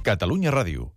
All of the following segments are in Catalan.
Catalunya Ràdio.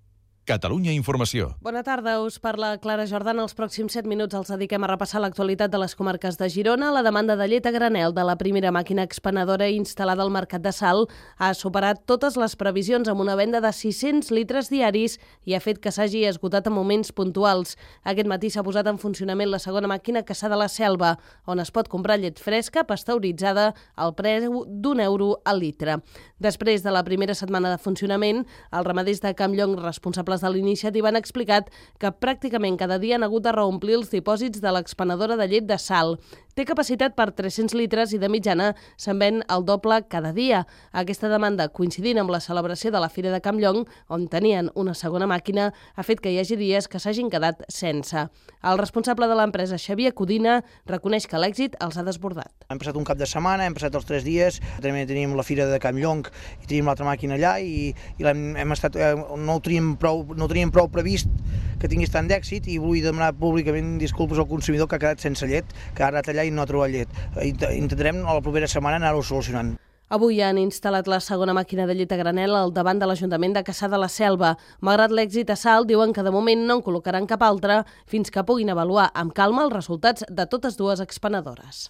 Catalunya Informació. Bona tarda, us parla Clara Jordana. Els pròxims 7 minuts els dediquem a repassar l'actualitat de les comarques de Girona. La demanda de llet a granel de la primera màquina expenedora instal·lada al Mercat de Salt ha superat totes les previsions amb una venda de 600 litres diaris i ha fet que s'hagi esgotat en moments puntuals. Aquest matí s'ha posat en funcionament la segona màquina Cassà de la Selva, on es pot comprar llet fresca, pasteuritzada, al preu d'1 € al litre. Després de la primera setmana de funcionament, els ramaders de Campllong responsables de l'iniciativa han explicat que pràcticament cada dia han hagut de reomplir els dipòsits de l'expenedora de llet de Salt. Té capacitat per 300 litres i de mitjana se'n ven el doble cada dia. Aquesta demanda, coincidint amb la celebració de la Fira de Campllong, on tenien una segona màquina, ha fet que hi hagi dies que s'hagin quedat sense. El responsable de l'empresa, Xavier Codina, reconeix que l'èxit els ha desbordat. Hem passat un cap de setmana, hem passat els 3 dies, també tenim la Fira de Campllong i tenim l'altra màquina allà i no ho teníem prou previst que tingués tant d'èxit i vull demanar públicament disculpes al consumidor que ha quedat sense llet, que ha anat allà i no ha trobat llet. Intentarem a la propera setmana anar-ho solucionant. Avui han instal·lat la segona màquina de llet a granel al davant de l'Ajuntament de Cassà de la Selva. Malgrat l'èxit a Salt, diuen que de moment no en col·locaran cap altra fins que puguin avaluar amb calma els resultats de totes dues expenedores.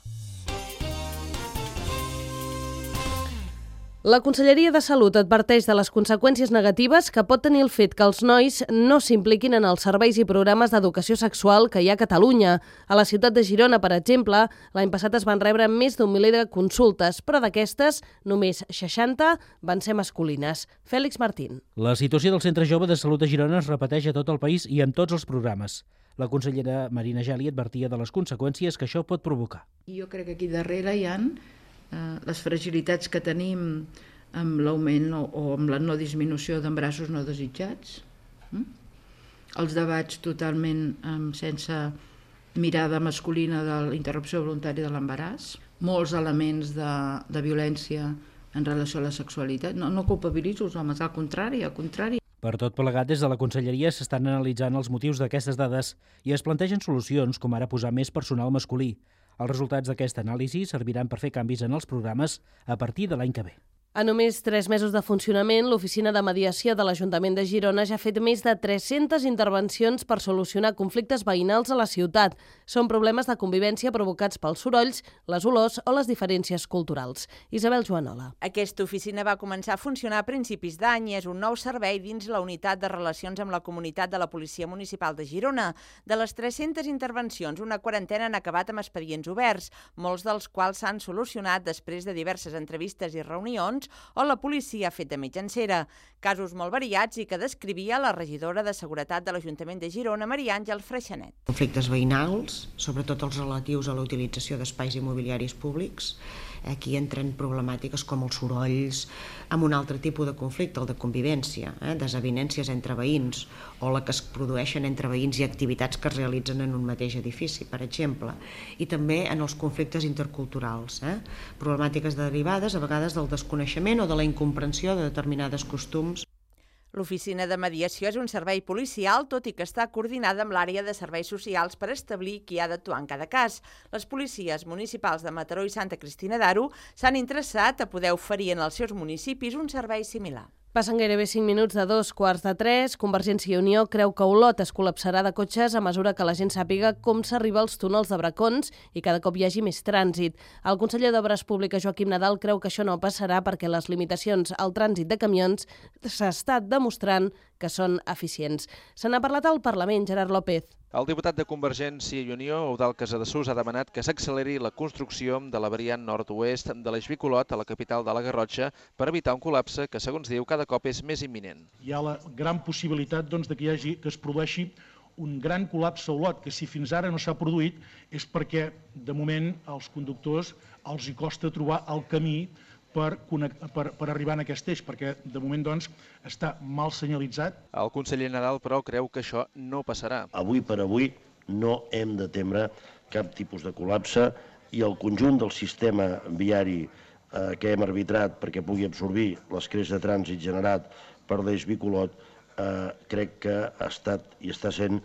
La Conselleria de Salut adverteix de les conseqüències negatives que pot tenir el fet que els nois no s'impliquin en els serveis i programes d'educació sexual que hi ha a Catalunya. A la ciutat de Girona, per exemple, l'any passat es van rebre més d'1 miler de consultes, però d'aquestes, només 60 van ser masculines. Fèlix Martín. La situació del Centre Jove de Salut de Girona es repeteix a tot el país i en tots els programes. La consellera Marina Geli advertia de les conseqüències que això pot provocar. Jo crec que aquí darrere hi ha les fragilitats que tenim amb l'augment o amb la no disminució d'embarassos no desitjats, els debats totalment sense mirada masculina de la interrupció voluntària de l'embaràs, molts elements de violència en relació a la sexualitat. No culpabilitzo els homes, al contrari. Per tot plegat, des de la Conselleria s'estan analitzant els motius d'aquestes dades i es plantegen solucions, com ara posar més personal masculí. Els resultats d'aquesta anàlisi serviran per fer canvis en els programes a partir de l'any que ve. A només 3 mesos de funcionament, l'Oficina de Mediació de l'Ajuntament de Girona ja ha fet més de 300 intervencions per solucionar conflictes veïnals a la ciutat. Són problemes de convivència provocats pels sorolls, les olors o les diferències culturals. Isabel Joanola. Aquesta oficina va començar a funcionar a principis d'any i és un nou servei dins la unitat de relacions amb la comunitat de la Policia Municipal de Girona. De les 300 intervencions, una quarantena han acabat amb expedients oberts, molts dels quals s'han solucionat després de diverses entrevistes i reunions o la policia ha fet de mitjancera. Casos molt variats i que descrivia la regidora de Seguretat de l'Ajuntament de Girona, Maria Àngel Freixanet. Conflictes veïnals, sobretot els relatius a la utilització d'espais immobiliaris públics. Aquí entren problemàtiques com els sorolls, amb un altre tipus de conflicte, el de convivència, desavinències entre veïns, o la que es produeixen entre veïns i activitats que es realitzen en un mateix edifici, per exemple. I també en els conflictes interculturals, problemàtiques derivades a vegades del desconeixement o de la incomprensió de determinades costums. L'Oficina de Mediació és un servei policial, tot i que està coordinada amb l'àrea de serveis socials per establir qui ha d'actuar en cada cas. Les policies municipals de Mataró i Santa Cristina d'Aro s'han interessat a poder oferir en els seus municipis un servei similar. Passen gairebé 5 minuts de 2:45. Convergència i Unió creu que Olot es col·lapsarà de cotxes a mesura que la gent sàpiga com s'arriba als túnels de Bracons i cada cop hi hagi més trànsit. El conseller d'Obres Públiques, Joaquim Nadal, creu que això no passarà perquè les limitacions al trànsit de camions s'ha demostrant que són eficients. Se n'ha parlat al Parlament, Gerard López. El diputat de Convergència i Unió, Eudald Casadesús, ha demanat que s'acceleri la construcció de la variant nord-oest de l'eix Bicolot a la capital de la Garrotxa per evitar un col·lapse que, segons diu, cada cop és més imminent. Hi ha la gran possibilitat que es produeixi un gran col·lapse a Olot, que si fins ara no s'ha produït és perquè, de moment, als conductors els hi costa trobar el camí per arribar a aquest eix, perquè de moment està mal senyalitzat. El conseller Nadal, però, creu que això no passarà. Avui per avui no hem de temer cap tipus de col·lapse i el conjunt del sistema viari que hem arbitrat perquè pugui absorbir l'escreix de trànsit generat per l'eix Bicolot crec que ha estat i està sent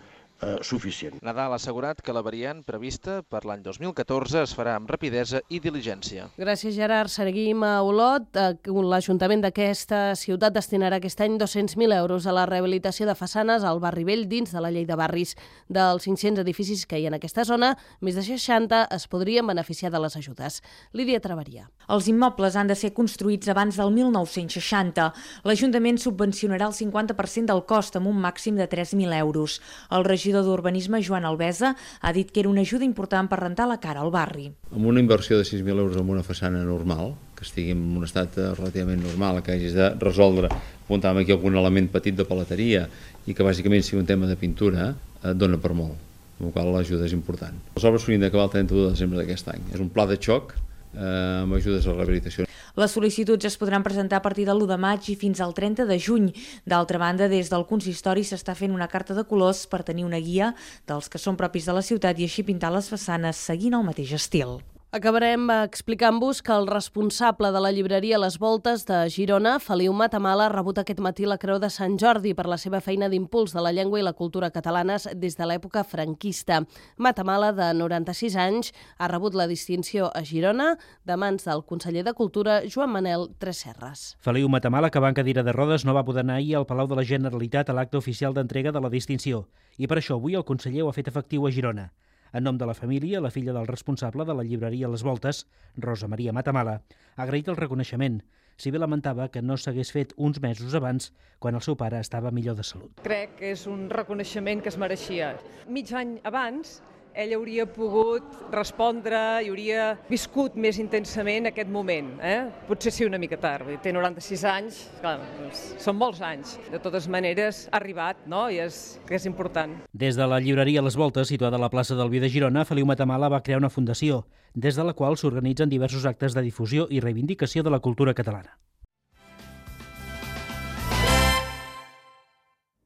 suficient. Nadal ha assegurat que la variant prevista per l'any 2014 es farà amb rapidesa i diligència. Gràcies, Gerard. Seguim a Olot. L'Ajuntament d'aquesta ciutat destinarà aquest any 200.000 euros a la rehabilitació de façanes al barri vell dins de la llei de barris. Dels 500 edificis que hi ha en aquesta zona, més de 60 es podrien beneficiar de les ajudes. Lídia Traveria. Els immobles han de ser construïts abans del 1960. L'Ajuntament subvencionarà el 50% del cost amb un màxim de 3.000 euros. El regidor d'Urbanisme, Joan Albesa, ha dit que era una ajuda important per rentar la cara al barri. Amb una inversió de 6.000 euros en una façana normal, que estigui en un estat relativament normal, que hagis de resoldre, apuntàvem aquí algun element petit de paleteria i que bàsicament sigui un tema de pintura, et dona per molt, amb la qual l'ajuda és important. Les obres s'haurien d'acabar el 31 de desembre d'aquest any. És un pla de xoc amb ajudes a la rehabilitació. Les sol·licituds es podran presentar a partir de l'1 de maig i fins al 30 de juny. D'altra banda, des del consistori s'està fent una carta de colors per tenir una guia dels que són propis de la ciutat i així pintar les façanes seguint el mateix estil. Acabarem explicant-vos que el responsable de la llibreria Les Voltes de Girona, Feliu Matamala, ha rebut aquest matí la Creu de Sant Jordi per la seva feina d'impuls de la llengua i la cultura catalanes des de l'època franquista. Matamala, de 96 anys, ha rebut la distinció a Girona de mans del conseller de Cultura, Joan Manel Tresserras. Feliu Matamala, que va en cadira de rodes, no va poder anar ahir al Palau de la Generalitat a l'acte oficial d'entrega de la distinció. I per això avui el conseller ho ha fet efectiu a Girona. En nom de la família, la filla del responsable de la llibreria Les Voltes, Rosa Maria Matamala, ha agraït el reconeixement, si bé lamentava que no s'hagués fet uns mesos abans, quan el seu pare estava millor de salut. Crec que és un reconeixement que es mereixia. Mig any abans, ell hauria pogut respondre i hauria viscut més intensament aquest moment. Potser sí una mica tard, té 96 anys, clar, són molts anys. De totes maneres, ha arribat, no? I és important. Des de la llibreria Les Voltes, situada a la plaça del Vi de Girona, Feliu Matamala va crear una fundació, des de la qual s'organitzen diversos actes de difusió i reivindicació de la cultura catalana.